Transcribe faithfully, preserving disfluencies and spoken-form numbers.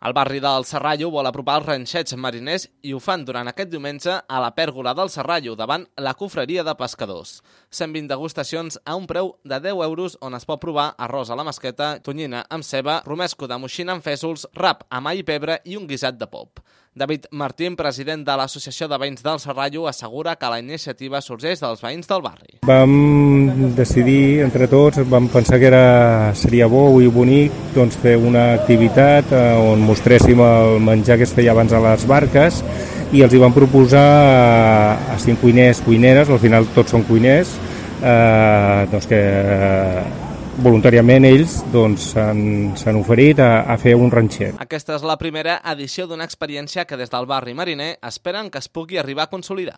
El barri del Serrallo vol apropar els ranxets mariners i ho fan durant aquest diumenge a la pèrgola del Serrallo, davant la confraria de pescadors. cent vint degustacions a un preu de deu euros on es pot provar arròs a la masqueta, tonyina amb ceba, romesco de moixina amb fèsols, rap amb all i pebre i un guisat de pop. David Martín, president de l'Associació de Veïns del Serrallo, assegura que la iniciativa sorgeix dels veïns del barri. Vam decidir entre tots, vam pensar que era, seria bo i bonic doncs, fer una activitat eh, on mostréssim el menjar que es feia abans a les barques i els hi vam proposar a, a cinc cuiners, cuineres, al final tots són cuiners, eh, doncs que eh, voluntàriament ells doncs, s'han oferit a, a fer un ranxet. Aquesta és la primera edició d'una experiència que des del barri mariner esperen que es pugui arribar a consolidar.